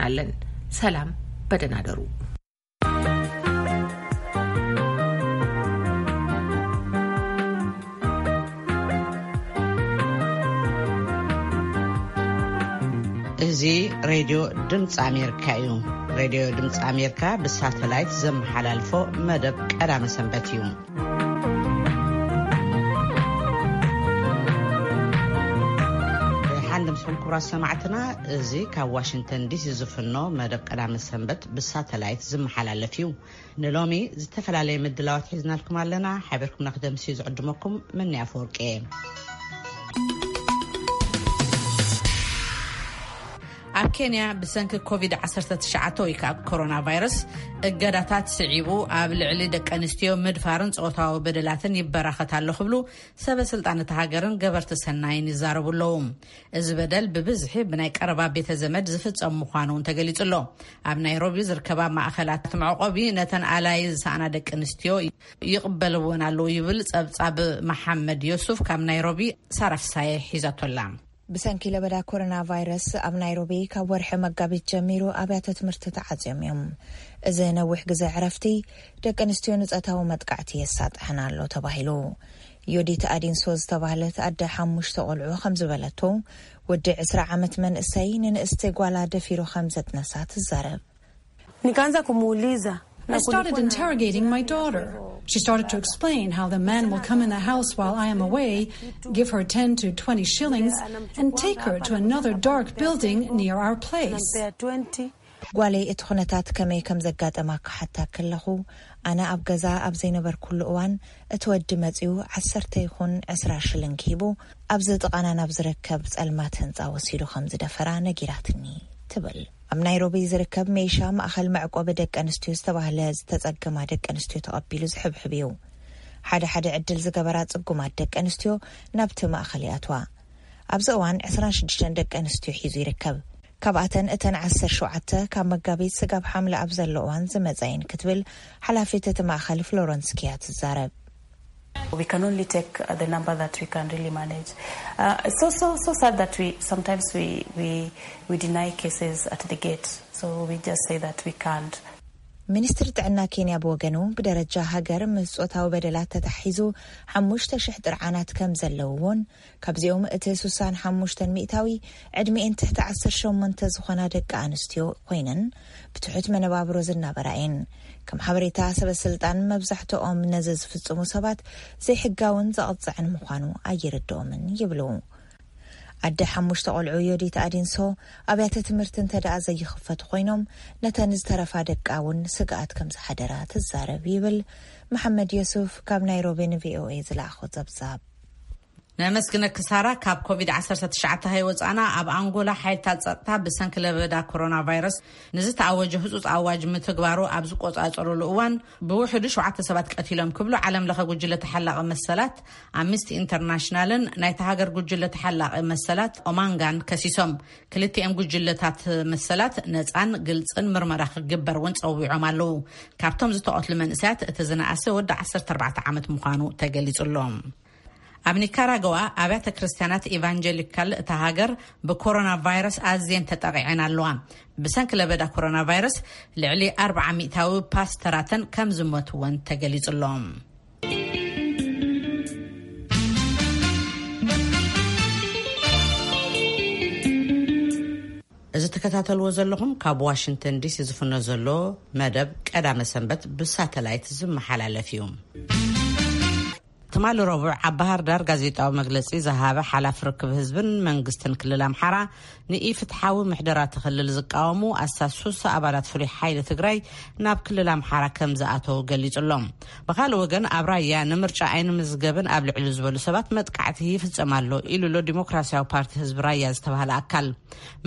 ኣለን። ሰላም፣ በደህና ደሩ። እዚ ሬድዮ ድምፂ ኣሜሪካ እዩ። ሬድዮ ድምፂ ኣሜሪካ ብሳተላይት ዘመሓላልፎ መደብ ቀዳመ ሰንበት እዩ። ሓንደ ምስኹም ክቡራት ሰማዕትና፣ እዚ ካብ ዋሽንግተን ዲሲ ዝፍኖ መደብ ቀዳመ ሰንበት ብሳተላይት ዝመሓላለፍ እዩ። ንሎሚ ዝተፈላለየ ምድላዋት ሒዝናልኩም ኣለና። ሓቢርኩምና ክደምሲ ዝዕድመኩም መኒ ኣፈወርቂ እየ። ኣብ ኬንያ ብሰንኪ ኮቪድ ዓሰርተ ትሽዓተ ወይ ከዓ ኮሮና ቫይረስ እገዳታት ስዒቡ ኣብ ልዕሊ ደቂ ኣንስትዮ ምድፋርን ጾታዊ በደላትን ይበራኸት ኣሎ ክብሉ ሰበ ስልጣን እታ ሃገርን ገበርቲ ሰናይን ይዛረቡ ኣለዉ። እዚ በደል ብብዝሒ ብናይ ቀረባ ቤተ ዘመድ ዝፍጸም ምዃኑ እውን ተገሊጹ ኣሎ። ኣብ ናይሮቢ ዝርከባ ማእኸላት መዕቆቢ ነተን ኣላይ ዝሰኣና ደቂ ኣንስትዮ ይቕበልወን ኣለዉ ይብል ጸብጻብ መሓመድ ዮሱፍ ካብ ናይሮቢ። ሳራ ፍሳየ ሒዛቶላ። ብሰንኪ ለበዳ ኮሮና ቫይረስ ኣብ ናይሮቢ ካብ ወርሒ መጋቢት ጀሚሩ ኣብያተ ትምህርቲ ተዓጽዮም እዮም። እዚ ነዊሕ ግዜ ዕረፍቲ ደቂ ኣንስትዮ ንጾታዊ መጥቃዕቲ የሳጥሐን ኣሎ ተባሂሉ። ዮዲት ኣዲንሶ ዝተባህለት ኣደ ሓሙሽተ ቆልዑ ከም ዝበለቶ፣ ወዲ ዕስራ ዓመት መንእሰይ ንንእስቲ ጓላ ደፊሩ ከም ዘጥነሳ ትዛረብ። Nikaanza kumuuliza. I started interrogating my daughter. She started to explain how the man will come in the house while I am away, give her ten to twenty shillings, and take her to another dark building near our place. Nampea twenty. ጓለይ እቲ ኩነታት ከመይ ከም ዘጋጠማ ክሓታ ከለኹ፣ ኣነ ኣብ ገዛ ኣብ ዘይነበርኩሉ እዋን እቲ ወዲ መጺኡ ዓሰርተ ይኹን ዕስራ ሽልንግ ሂቡ ኣብዚ ጥቓና ናብ ዝርከብ ጸልማት ህንጻ ወሲዱ ከም ዝደፈራ ነጊራትኒ ትብል። ኣብ ናይሮቢ ዝርከብ ሜሻ ማእኸል መዕቆቢ ደቂ ኣንስትዮ ዝተባህለ ዝተጸገማ ደቂ ኣንስትዮ ተቐቢሉ ዝሕብሕብ እዩ። ሓደ ሓደ ዕድል ዝገበራ ጽጉማት ደቂ ኣንስትዮ ናብቲ ማእኸል ይኣትዋ። ኣብዚ እዋን ዕስራን ሽዱሽተን ደቂ ኣንስትዮ ሒዙ ይርከብ። ካብኣተን እተን ዓሰርተ ሸውዓተ ካብ መጋቢት ስጋብ ሓምለ ኣብ ዘሎ እዋን ዝመጻ እየን ክትብል ሓላፊት እቲ ማእኸል ፍሎረንስ ኪያ ትዛረብ። We can only take, uh, the number that we can really manage. Uh, it's so, so, so sad that we, sometimes we, we, we deny cases at the gate. So we just say that we can't. ሚኒስትሪ ጥዕና ኬንያ ብወገኑ፣ ብደረጃ ሃገር ምስ ጾታዊ በደላት ተታሒዙ ሓሙሽተ ሽሕ ጥርዓናት ከም ዘለውዎን፣ ካብዚኦም እቲ ስሳን ሓሙሽተን ሚእታዊ ዕድሚኤን ትሕቲ ዓሰርተ ሸሞንተ ዝኾና ደቂ ኣንስትዮ ኮይነን ብትሑት መነባብሮ ዝናበራ እየን። ከም ሓበሬታ ሰበ ስልጣን፣ መብዛሕትኦም ነዚ ዝፍጽሙ ሰባት ዘይሕጋውን ዘቕጽዕን ምዃኑ ኣይርድኦምን ይብሉ። ኣደ ሓሙሽተ ቆልዑ ዮዲት ኣዲንሶ፣ ኣብያተ ትምህርቲ እንተ ደኣ ዘይኽፈቱ ኮይኖም፣ ነተን ዝተረፋ ደቃ እውን ስግኣት ከም ዝሓደራ ትዛረብ ይብል መሓመድ የሱፍ ካብ ናይሮቢ ን ቪ ኦ ኤ ዝለኣኾ ጸብጻብ። ነመስግነኪ ሳራ። ካብ ኮቪድ ዓሰርተ ትሽዓተ ሃይ ወጻና፣ ኣብ ኣንጎላ ሓይልታት ጸጥታ ብሰንኪ ለበዳ ኮሮና ቫይረስ ንዝተኣወጀ ህጹጽ ኣዋጅ ምትግባሩ ኣብ ዝቆጻጸሩሉ እዋን፣ ብውሕዱ ሸውዓተ ሰባት ቀቲሎም ክብሉ ዓለም ለኸ ጉጅለ ተሓላቒ መሰላት ኣምነስቲ ኢንተርናሽናልን ናይታ ሃገር ጉጅለ ተሓላቒ መሰላት ኦማንጋን ከሲሶም። ክልቲኦም ጉጅለታት መሰላት ነጻን ግልጽን ምርመራ ክግበር እውን ጸዊዖም ኣለዉ። ካብቶም ዝተቐትሉ መንእሰያት እቲ ዝነኣሰ ወዲ ዓሰርተ ኣርባዕተ ዓመት ምዃኑ ተገሊጹ ኣሎ። ኣብ ኒካራጓ ኣብያተ ክርስትያናት ኢቫንጀሊካል እታ ሃገር ብኮሮና ቫይረስ ኣዝየን ተጠቒዐን ኣለዋ። ብሰንኪ ለበዳ ኮሮና ቫይረስ ልዕሊ ኣርብዓ ሚእታዊ ፓስተራተን ከም ዝሞትወን ተገሊጹ ኣሎ። እዚ ትከታተልዎ ዘለኹም ካብ ዋሽንግተን ዲሲ ዝፍኖ ዘሎ መደብ ቀዳመ ሰንበት ብሳተላይት ዝመሓላለፍ እዩ። ትማሊ ረቡዕ ኣብ ባህር ዳር ጋዜጣዊ መግለጺ ዝሃበ ሓላፊ ርክብ ህዝብን መንግስትን ክልል ኣምሓራ፣ ንኢፍትሓዊ ምሕደራ እቲ ክልል ዝቃወሙ ኣስታት ሱሳ ኣባላት ፍሉይ ሓይሊ ትግራይ ናብ ክልል ኣምሓራ ከም ዝኣተው ገሊጹ ኣሎ። ብኻልእ ወገን፣ ኣብ ራያ ንምርጫ ኣይንምዝገብን ኣብ ልዕሊ ዝበሉ ሰባት መጥቃዕቲ ይፍጸም ኣሎ ኢሉ ኣሎ ዲሞክራሲያዊ ፓርቲ ህዝቢ ራያ ዝተባህለ ኣካል።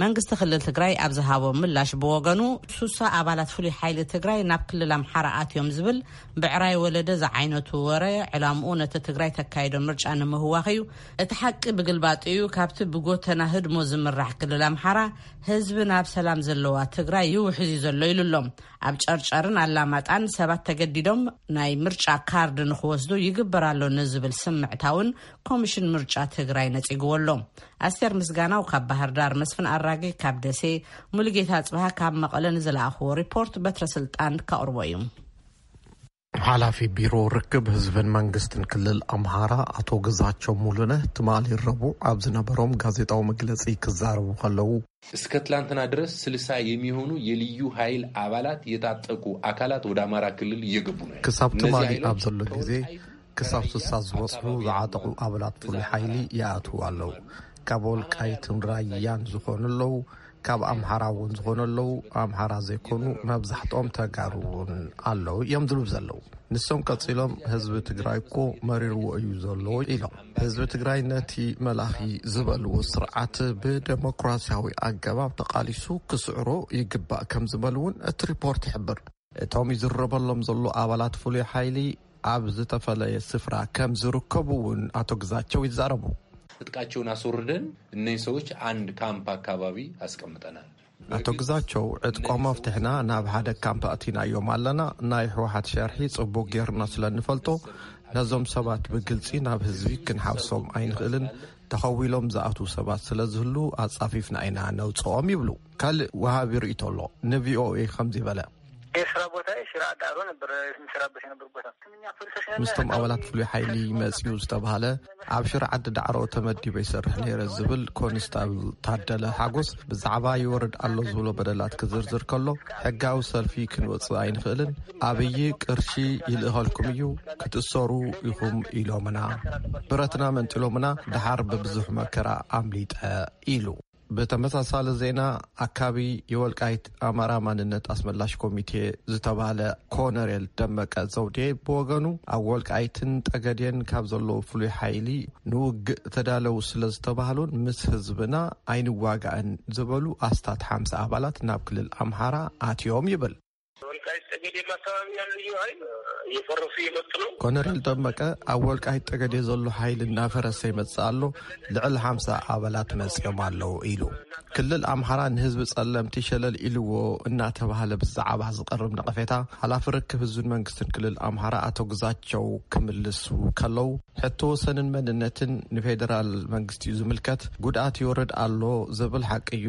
መንግስቲ ክልል ትግራይ ኣብ ዝሃቦ ምላሽ ብወገኑ፣ ሱሳ ኣባላት ፍሉይ ሓይሊ ትግራይ ናብ ክልል ኣምሓራ ኣትዮም ዝብል ብዕራይ ወለደ ዝዓይነቱ ወረ፣ ዕላምኡ ነቲ ትግራይ ተካይዶ ምርጫ ንምህዋኽ እዩ። እቲ ሓቂ ብግልባጡ እዩ። ካብቲ ብጎተና ህድሞ ዝምራሕ ክልል ኣምሓራ ህዝቢ ናብ ሰላም ዘለዋ ትግራይ ይውሕዝ እዩ ዘሎ ኢሉ ኣሎ። ኣብ ጨርጨርን ኣላማጣን ሰባት ተገዲዶም ናይ ምርጫ ካርድ ንክወስዱ ይግበር ኣሎ ንዝብል ስምዕታ እውን ኮሚሽን ምርጫ ትግራይ ነጺግዎ ኣሎ። ኣስቴር ምስጋናው ካብ ባህር ዳር፣ መስፍን ኣራጌ ካብ ደሴ፣ ሙሉጌታ ጽብሃ ካብ መቐለ ንዝለኣኽዎ ሪፖርት በትረ ስልጣን ከቕርቦ እዩ። ሓላፊ ቢሮ ርክብ ህዝብን መንግስትን ክልል ኣምሃራ ኣቶ ግዛቸው ሙሉነህ ትማሊ ረቡዕ ኣብ ዝነበሮም ጋዜጣዊ መግለጺ ክዛረቡ ከለዉ፣ እስከ ትላንትና ድረስ ስልሳ የሚሆኑ የልዩ ኃይል አባላት የታጠቁ አካላት ወደ አማራ ክልል እየገቡ ነው። ክሳብ ትማሊ ኣብ ዘሎ ግዜ ክሳብ ስልሳ ዝበጽሑ ዝዓጠቑ ኣባላት ፍሉይ ሓይሊ ይኣትዉ ኣለዉ። ካብ ወልቃይትን ራያን ዝኾኑ ኣለዉ፣ ካብ ኣምሓራ እውን ዝኾኑ ኣለዉ። ኣምሓራ ዘይኮኑ መብዛሕትኦም ተጋሩ እውን ኣለዉ እዮም ዝብሉ ዘለዉ። ንሶም ቀጺሎም ህዝቢ ትግራይ እኮ መሪርዎ እዩ ዘሎ ኢሎም። ህዝቢ ትግራይ ነቲ መላኺ ዝበልዎ ስርዓት ብደሞክራሲያዊ ኣገባብ ተቓሊሱ ክስዕሮ ይግባእ ከም ዝበሉ እውን እቲ ሪፖርት ይሕብር። እቶም ይዝረበሎም ዘሎ ኣባላት ፍሉይ ሓይሊ ኣብ ዝተፈለየ ስፍራ ከም ዝርከቡ እውን ኣቶ ግዛቸው ይዛረቡ። ትጥቃቸውን አስወርደን እነዚህ ሰዎች አንድ ካምፕ አካባቢ አስቀምጠናል። ኣቶ ግዛቸው ዕጥቆም ኣፍትሕና ናብ ሓደ ካምፕ ኣእቲናዮም ኣለና። ናይ ህወሓት ሸርሒ ጽቡቕ ጌርና ስለ እንፈልጦ ነዞም ሰባት ብግልጺ ናብ ህዝቢ ክንሓውሶም ኣይንኽእልን። ተኸዊሎም ዝኣትዉ ሰባት ስለ ዝህሉ ኣጻፊፍና ኢና ነውጽኦም ይብሉ። ካልእ ወሃቢ ርእይቶ ኣሎ ንቪኦኤ ከምዚ በለ። የስራ ቦታ ሽራ ዳሮ ነበር የምሰራበት የነበር ቦታ ምስቶም ኣባላት ፍሉይ ሓይሊ መጺኡ ዝተባህለ ኣብ ሽረ ዓዲ ዳዕሮ ተመዲበ ይሰርሕ ነይረ ዝብል ኮንስታብል ታደለ ሓጎስ ብዛዕባ ይወርድ ኣሎ ዝብሎ በደላት ክዝርዝር ከሎ፣ ሕጋዊ ሰልፊ ክንወጽእ ኣይንኽእልን፣ ኣብይ ቅርሺ ይልእኸልኩም እዩ፣ ክትእሰሩ ኢኹም ኢሎምና፣ ብረትና መንጢሎምና፣ ደሓር ብብዙሕ መከራ ኣምሊጠ ኢሉ። ብተመሳሳሊ ዜና ኣካቢ የወልቃይት ኣማራ ማንነት ኣስመላሽ ኮሚቴ ዝተባህለ ኮነሬል ደመቀ ዘውዴ ብወገኑ ኣብ ወልቃይትን ጠገዴን ካብ ዘለዉ ፍሉይ ሓይሊ ንውግእ ተዳለው ስለ ዝተባህሉን ምስ ህዝብና ኣይንዋጋእን ዝበሉ ኣስታት ሓምሳ ኣባላት ናብ ክልል ኣምሓራ ኣትዮም ይብል። ወልቃይት ጠገዴም አካባቢ ያሉ ልዩ ኃይል እየፈረሱ እየመጡ ነው። ኮነሬል ደመቀ ኣብ ወልቃይት ጠገዴ ዘሎ ሓይሊ እናፈረሰ ይመጽእ ኣሎ፣ ልዕሊ ሓምሳ ኣባላት መጽዮም ኣለዉ ኢሉ። ክልል ኣምሓራ ንህዝቢ ጸለምቲ ሸለል ኢልዎ እናተባህለ ብዛዕባ ዝቐርብ ነቐፌታ ሓላፊ ርክብ ህዝብን መንግስትን ክልል ኣምሓራ ኣቶ ግዛቸው ክምልሱ ከለዉ፣ ሕቶ ወሰንን መንነትን ንፌደራል መንግስቲ እዩ ዝምልከት፣ ጉድኣት ይወርድ ኣሎ ዝብል ሓቂ እዩ።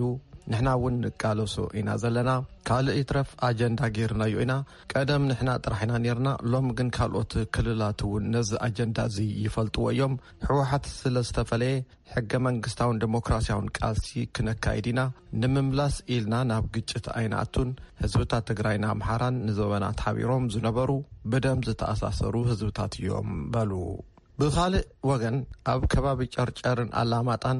ንሕና እውን ንቃለሶ ኢና ዘለና። ካልእ ይትረፍ ኣጀንዳ ጌርናዮ ኢና። ቀደም ንሕና ጥራሕ ኢና ኔርና፣ ሎም ግን ካልኦት ክልላት እውን ነዚ ኣጀንዳ እዚ ይፈልጥዎ እዮም። ህወሓት ስለ ዝተፈለየ ሕገ መንግስታውን ዴሞክራሲያውን ቃልሲ ክነካይድ ኢና። ንምምላስ ኢልና ናብ ግጭት ኣይንኣቱን። ህዝብታት ትግራይን ኣምሓራን ንዘበናት ሓቢሮም ዝነበሩ ብደም ዝተኣሳሰሩ ህዝብታት እዮም በሉ። ብኻልእ ወገን ኣብ ከባቢ ጨርጨርን ኣላማጣን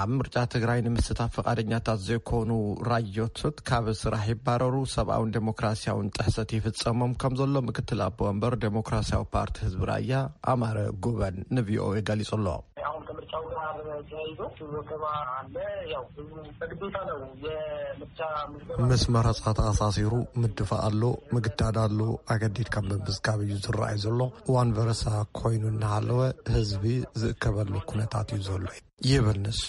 ኣብ ምርጫ ትግራይ ንምስታፍ ፍቓደኛታት ዘይኮኑ ራዮቶት ካብ ስራሕ ይባረሩ፣ ሰብኣውን ዴሞክራሲያውን ጥሕሰት ይፍጸሞም ከም ዘሎ ምክትል ኣቦ ወንበር ዴሞክራሲያዊ ፓርቲ ህዝቢ ራያ ኣማረ ጉበን ንቪኦኤ ገሊጹ ኣሎ። አሁን ከምርጫው ጋር ተያይዞ ወከባ አለ። ያው ህዝቡ በግዴታ ነው የምርጫ ምዝገባ ምስ መረጻ ተኣሳሲሩ ምድፋእ ኣሎ፣ ምግዳድ ኣሎ፣ ኣገዲድካ ምምዝጋብ እዩ ዝረኣይ ዘሎ። እዋን በረሳ ኮይኑ እናሃለወ ህዝቢ ዝእከበሉ ኩነታት እዩ ዘሎ ይብል ንሱ።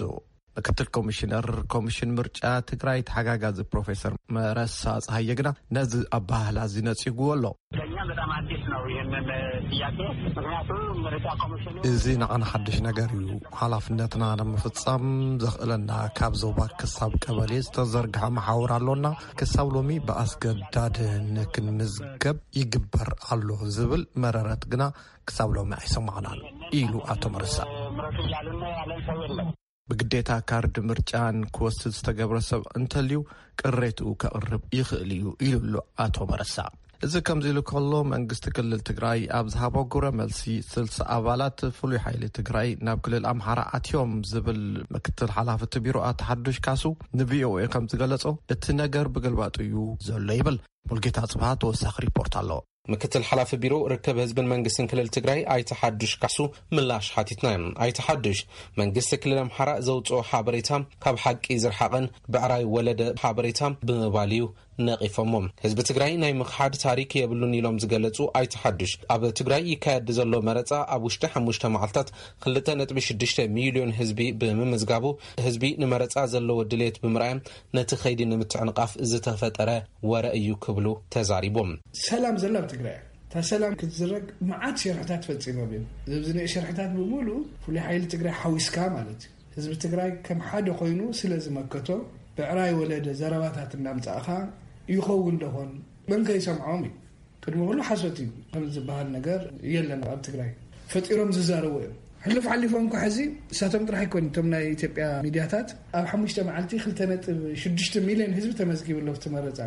ምክትል ኮሚሽነር ኮሚሽን ምርጫ ትግራይ ተሓጋጋዚ ፕሮፌሰር መረሳ ፀሃየ ግና ነዚ ኣባህላ እዚ ነፂጉዎ ኣሎ። ለእኛ በጣም አዲስ ነው ይህንን ጥያቄ። ምክንያቱም ምርጫ ኮሚሽኑ እዚ ንዓና ሓድሽ ነገር እዩ። ሓላፍነትና ንምፍጻም ዘኽእለና ካብ ዞባ ክሳብ ቀበሌ ዝተዘርግሐ መሓውር ኣሎና። ክሳብ ሎሚ ብኣስገዳድ ንክንምዝገብ ይግበር ኣሎ ዝብል መረረት ግና ክሳብ ሎሚ ኣይሰማዕናን ኢሉ ኣቶ መረሳ። ምረጡ እያሉን ነው ያለን ሰው የለም። ብግዴታ ካርድ ምርጫን ክወስድ ዝተገብረ ሰብ እንተልዩ ቅሬትኡ ከቕርብ ይኽእል እዩ ኢሉ ኣሎ ኣቶ መረሳ። እዚ ከምዚ ኢሉ ከሎ መንግስቲ ክልል ትግራይ ኣብ ዝሃቦ ግብረ መልሲ ስልሳ ኣባላት ፍሉይ ሓይሊ ትግራይ ናብ ክልል ኣምሓራ ኣትዮም ዝብል ምክትል ሓላፊ እቲ ቢሮ ኣቶ ሓዱሽ ካሱ ንቪኦኤ ከም ዝገለጾ እቲ ነገር ብግልባጡ እዩ ዘሎ ይብል። ሙልጌታ ጽብሃ ተወሳኺ ሪፖርት ኣሎ። ምክትል ሓላፊ ቢሮ ርክብ ህዝብን መንግስትን ክልል ትግራይ ኣይተ ሓዱሽ ካሱ ምላሽ ሓቲትና እዮም። ኣይተ ሓዱሽ፣ መንግስቲ ክልል ኣምሓራ ዘውፅኦ ሓበሬታ ካብ ሓቂ ዝረሓቐን ብዕራይ ወለደ ሓበሬታ ብምባል እዩ ነቒፎሞ። ህዝቢ ትግራይ ናይ ምኽሓድ ታሪክ የብሉን ኢሎም ዝገለፁ ኣይተ ሓዱሽ፣ ኣብ ትግራይ ይካየድ ዘሎ መረፃ ኣብ ውሽጢ ሓሙሽተ መዓልታት ክልተ ነጥቢ ሽዱሽተ ሚልዮን ህዝቢ ብምምዝጋቡ፣ ህዝቢ ንመረፃ ዘለዎ ድሌት ብምርኣይ ነቲ ከይዲ ንምትዕንቓፍ ዝተፈጠረ ወረ እዩ ክብሉ ተዛሪቦም። ሰላም ዘላ ኣብ ትግራይ እያ። እታ ሰላም ክትዝረግ መዓት ሸርሕታት ፈፂሞም እዮም። እዚ ኣብዚ ናይ ሸርሕታት ብምሉእ ፍሉይ ሓይሊ ትግራይ ሓዊስካ ማለት እዩ። ህዝቢ ትግራይ ከም ሓደ ኮይኑ ስለ ዝመከቶ፣ ብዕራይ ወለደ ዘረባታት እናምፃእኻ ይኸውን ደኾን? መን ከይሰምዖም እዩ? ቅድሚ ኩሉ ሓሶት እዩ። ከም ዝበሃል ነገር የለን ኣብ ትግራይ። ፈጢሮም ዝዛረቡ እዮም። ሕሉፍ ሓሊፎም እኳ ሕዚ እሳቶም ጥራሕ ኣይኮን፣ እቶም ናይ ኢትዮጵያ ሚዲያታት ኣብ ሓሙሽተ መዓልቲ ክልተ ነጥቢ ሽዱሽተ ሚልዮን ህዝቢ ተመዝጊቡ ኣሎ ኣብቲ መረፃ።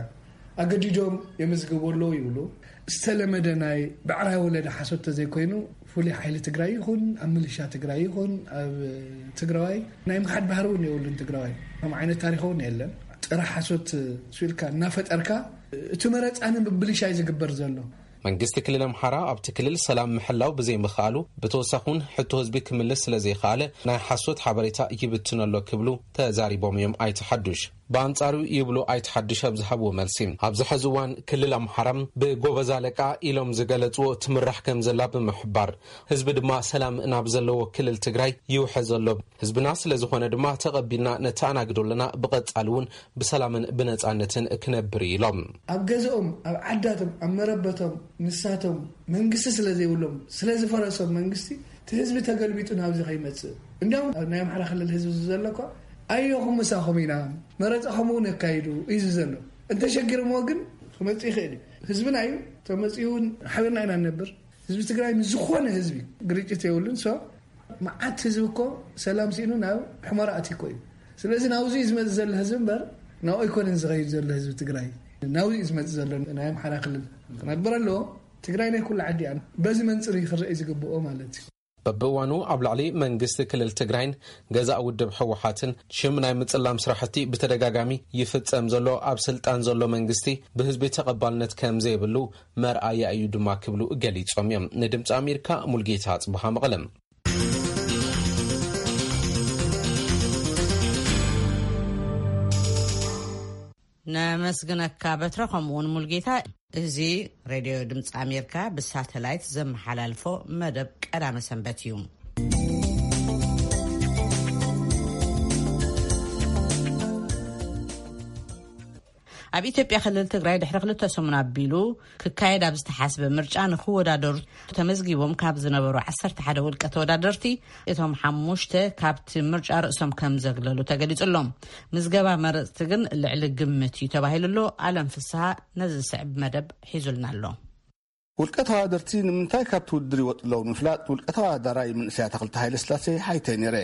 ኣገዲዶም የመዝግቡ ኣለዉ ይብሉ። ዝተለመደ ናይ ብዕራይ ወለደ ሓሶት ተዘይኮይኑ፣ ፍሉይ ሓይሊ ትግራይ ይኹን ኣብ ሚሊሻ ትግራይ ይኹን ኣብ ትግራዋይ ናይ ምኽሓድ ባህሪ እውን የብሉን። ትግራዋይ ከም ዓይነት ታሪክ እውን የለን። ጥረ ሓሶት ስኢልካ እናፈጠርካ እቲ መረፃ ንምብልሻይ ዝግበር ዘሎ። መንግስቲ ክልል ኣምሓራ ኣብቲ ክልል ሰላም ምሕላው ብዘይምኽኣሉ፣ ብተወሳኺ እውን ሕቶ ህዝቢ ክምልስ ስለ ዘይኸኣለ ናይ ሓሶት ሓበሬታ ይብትን ኣሎ ክብሉ ተዛሪቦም እዮም ኣይተ ሓዱሽ። ብኣንጻሩ ይብሉ ኣይተ ሓዱሽ ኣብ ዝሃብዎ መልሲ፣ ኣብዚ ሕዚ እዋን ክልል ኣምሓራ ብጎበዝ ኣለቃ ኢሎም ዝገለጽዎ ትምራሕ ከም ዘላ ብምሕባር፣ ህዝቢ ድማ ሰላም ናብ ዘለዎ ክልል ትግራይ ይውሕዝ ኣሎ። ህዝብና ስለ ዝኾነ ድማ ተቐቢልና ነተኣናግዶ ኣለና። ብቐጻሊ እውን ብሰላምን ብነጻነትን ክነብር እዩ ኢሎም። ኣብ ገዝኦም፣ ኣብ ዓዳቶም፣ ኣብ መረበቶም ንሳቶም መንግስቲ ስለ ዘይብሎም፣ ስለ ዝፈረሶም መንግስቲ፣ እቲ ህዝቢ ተገልቢጡ ናብዚ ከይመጽእ። እንዲያውም ኣብ ናይ ኣምሓራ ክልል ህዝቢ ዘሎ እኮ፣ ኣዮኹም ምሳኹም ኢና፣ መረጻኹም እውን ኣካይዱ እዩ ዘሎ። እንተሸጊርዎ ግን ክመጽእ ይኽእል እዩ። ህዝብና እዩ፣ ተመጺኡ እውን ሓቢርና ኢና ንነብር። ህዝቢ ትግራይ ምስ ዝኾነ ህዝቢ ግርጭት የብሉን። ሶ መዓት ህዝቢ እኮ ሰላም ስኢኑ ናብ ሕመራ ኣትዩ እኮ እዩ። ስለዚ ናብዚ እዩ ዝመጽእ ዘሎ ህዝቢ እምበር ናብኡ ኣይኮነን ዝኸይድ ዘሎ ህዝቢ ትግራይ። ናብዚ እዩ ዝመጽእ ዘሎ። ናይ ኣምሓራ ክልል ክነብር ኣለዎ። ትግራይ ናይ ኩሉ ዓዲ እያ። በዚ መንጽር እዩ ክረኣይ ዝግብኦ ማለት እዩ። በብእዋኑ ኣብ ልዕሊ መንግስቲ ክልል ትግራይን ገዛእ ውድብ ህወሓትን ሽም ናይ ምጽላም ስራሕቲ ብተደጋጋሚ ይፍጸም ዘሎ ኣብ ስልጣን ዘሎ መንግስቲ ብህዝቢ ተቐባልነት ከም ዘይብሉ መርኣያ እዩ ድማ ክብሉ ገሊጾም እዮም። ንድምፂ ኣሜሪካ ሙልጌታ ጽቡሃ መቐለም። ነመስግነካ በትረ፣ ከምኡውን ሙልጌታ። እዚ ሬድዮ ድምፂ ኣሜሪካ ብሳተላይት ዘመሓላልፎ መደብ ቀዳመ ሰንበት እዩ። ኣብ ኢትዮጵያ ክልል ትግራይ ድሕሪ ክልተ ሰሙን ኣቢሉ ክካየድ ኣብ ዝተሓስበ ምርጫ ንክወዳደሩ ተመዝጊቦም ካብ ዝነበሩ ዓሰርተ ሓደ ውልቀ ተወዳደርቲ፣ እቶም ሓሙሽተ ካብቲ ምርጫ ርእሶም ከም ዘግለሉ ተገሊጹ ኣሎ። ምዝገባ መረጽቲ ግን ልዕሊ ግምት እዩ ተባሂሉ ኣሎ። ኣለም ፍስሃ ነዚ ዝስዕብ መደብ ሒዙልና ኣሎ። ውልቀ ተወዳደርቲ ንምንታይ ካብቲ ውድድር ይወጡ ኣለዉ ንምፍላጥ፣ ውልቀ ተወዳዳራይ መንእሰይ ኣታኽልቲ ሃይለስላሴ ሓቲተ ነይረ።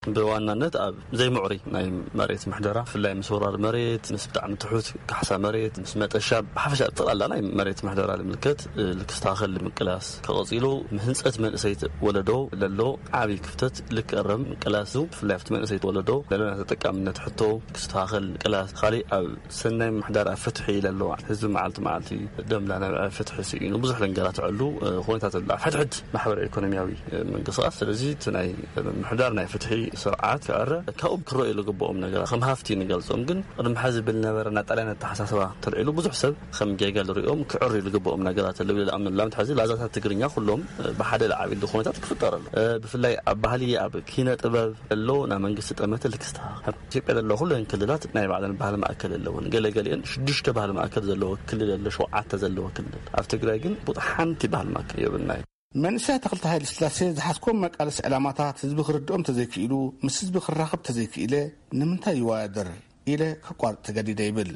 ብዋናነት ኣብ ዘይምዕሩይ ናይ መሬት ምሕደራ፣ ብፍላይ ምስ ወራር መሬት፣ ምስ ብጣዕሚ ትሑት ካሕሳ መሬት፣ ምስ መጠሻ፣ ብሓፈሻ ጠቕላላ ናይ መሬት ምሕደራ ልምልከት፣ እ፣ ልክስተኻኸል ምቅላስ፣ ከቐጺሉ ምህንጸት መንእሰይ ወለዶ ለሎ ዓቢ ክፍተት ልክእረም ምቅላስ፣ ብፍላይ ኣብቲ መንእሰይ ወለዶ ለሎ ናይ ተጠቃምነት ሕቶ ክስተኻኸል ምቅላስ፣ ካሊእ ኣብ ሰናይ ምሕዳር ኣብ ፍትሒ ኢለ ኣለዋ። ህዝቢ መዓልቲ መዓልቲ ደምላ ናብ ፍትሒ ስኢኑ ብዙሕ ደንገራትዐሉ፣ እ፣ ኩነታት ኣሎ። ኣብ ሕድሕድ ማሕበራዊ ኢኮኖሚያዊ፣ እ፣ ምንቅስቃስ። ስለዚ እቲ ናይ ምሕዳር ናይ ፍትሒ ስርዓት ክዕረ፣ ካብኡ ክረኣዩ ዝግብኦም ነገራት ከም ሃፍቲ ንገልጾም። ግን ቅድሚ ሕዚ ብልነበረ ናይ ጣልያን ኣተሓሳስባ ተልዒሉ ብዙሕ ሰብ ከም ጌጋ ዝሪኦም ክዕርዩ ዝግብኦም ነገራት ኣለዉ ኢለ ዝኣምነሉ። ንኣብነት ሕዚ ላዛታት ትግርኛ ኩሎም፣ እ፣ ብሓደ ዝዓብሉ ኩነታት ክፍጠር ኣሎ። እ፣ ብፍላይ ኣብ ባህሊ፣ ኣብ ኪነ ጥበብ፣ ዘሎ ናይ መንግስቲ ጠመተ ልክስተኻኸል። ኣብ ኢትዮጵያ ዘለዋ ኩለን ክልላት ናይ ባዕለን ባህሊ ማእከል ኣለወን። ገለ ገሊአን ሽዱሽተ ባህሊ ማእከል ዘለዎ ክልል ኣሎ፣ ሸውዓተ ዘለዎ ክልል። ኣብ ትግራይ ግን ቡጥ ሓንቲ ባህሊ ማእከል የብልናይ። መንእሰይ ኣታኽልቲ ሃይለስላሴ ዝሓዝኮም መቃለሲ ዕላማታት ህዝቢ ክርድኦም ተዘይክኢሉ፣ ምስ ህዝቢ ክራኸብ ተዘይክኢለ ንምንታይ ይወዳደር ኢለ ከቋርጽ ተገዲደ ይብል።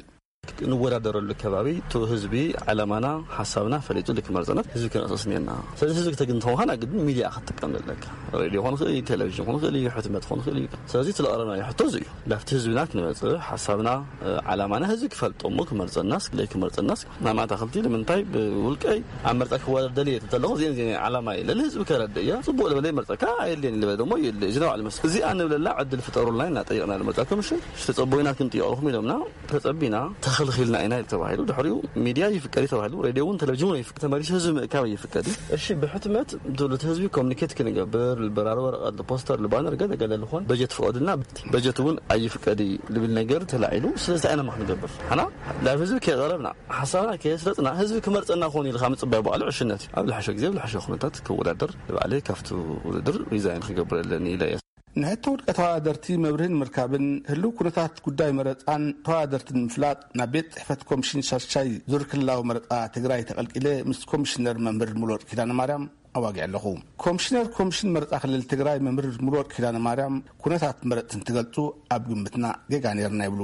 ንወዳደረሉ ከባቢ እቱ ህዝቢ ዕላማና፣ ሓሳብና ፈሊጡ ልክ መርፀና ህዝቢ ክነቕስስ እኒአና። ስለዚ ህዝቢ ክተግንተው ከና ግድን ሚድያ ክትጥቀም ዘለካ። ሬድዮ ክኾን ይኽእል እዩ፣ ቴሌቪዥን ክኾን ይኽእል እዩ፣ ሕትመት ክኾን ይኽእል እዩ። ስለዚ እቲ ለቕረብናዮ ሕቶ እዚ እዩ። ላብቲ ህዝብና ክንመፅእ፣ ሓሳብና፣ እ፣ ዓላማና ህዝቢ ክፈልጦ እሞ ክመርፀናስ፣ ለይ ክመርፀናስ፣ ናብ ኣታኽልቲ ንምንታይ ብውልቀይ ኣብ መርፃ ክወዳደር ደልየ ተለኹ፣ እዚአን፣ እዚአን ዓላማ እዩ። ለሊ ህዝቢ ከረድእ እያ። ፅቡቅ ልበለ ይመርፀካ፣ ኣየድልየን ልበለ ደሞ የለ። እዚ ነው ዓለመስ። እዚኣ ንብለላ ዕድል ፍጠሩልና ኢና ጠይቕና ልመርፃ ኮሚሽን። ተፀቦይና ክንጥይቐልኹም ኢሎምና። ተጸቢና ተኽ ክልኺልና ኢና ተባሂሉ። ድሕሪኡ ሚድያ ይፍቀድ እዩ ተባሂሉ። ሬድዮ እውን ቴሌቪዥን እውን ይፍቀድ፣ ተመሊሱ ህዝቢ ምእካብ ይፍቀድ እዩ። እሺ፣ ብሕትመት ድሉት ህዝቢ ኮሚኒኬት ክንገብር፣ ልበራሪ ወረቐት፣ ልፖስተር፣ ልባነር ገለ ገለ ልኾን በጀት ፍቐዱልና፣ በጀት እውን ኣይፍቀድ እዩ ልብል ነገር ተላዒሉ። ስለዚ እንታይ ኢና ክንገብር? ሓና ናብ ህዝቢ ከየቐረብና፣ ሓሳብና ከየስረጽና፣ ህዝቢ ክመርጸና ክኾን ኢልካ ምጽባይ ባዕሉ ዕሽነት እዩ። ኣብ ዝሓሸ ግዜ፣ ኣብ ዝሓሸ ኩነታት ክወዳደር፣ ንባዕለይ ካብቲ ውድድር ሪዛይን ክገብር ኣለኒ ኢለ እየ። ንሕቶ ውልቀ ተወዳደርቲ መብርሂ ንምርካብን ህልው ኩነታት ጉዳይ መረጻን ተወዳደርትን ንምፍላጥ ናብ ቤት ጽሕፈት ኮሚሽን ሻድሻይ ዙር ክልላዊ መረጻ ትግራይ ተቐልቂለ ምስ ኮሚሽነር መምህር ሙሉወርቅ ኪዳነ ማርያም ኣዋጊዐ ኣለኹ። ኮሚሽነር ኮሚሽን መረጻ ክልል ትግራይ መምህር ሙሉወርቅ ኪዳነ ማርያም ኩነታት መረጽቲ እንትገልጹ ኣብ ግምትና ጌጋ ነይርና ይብሉ።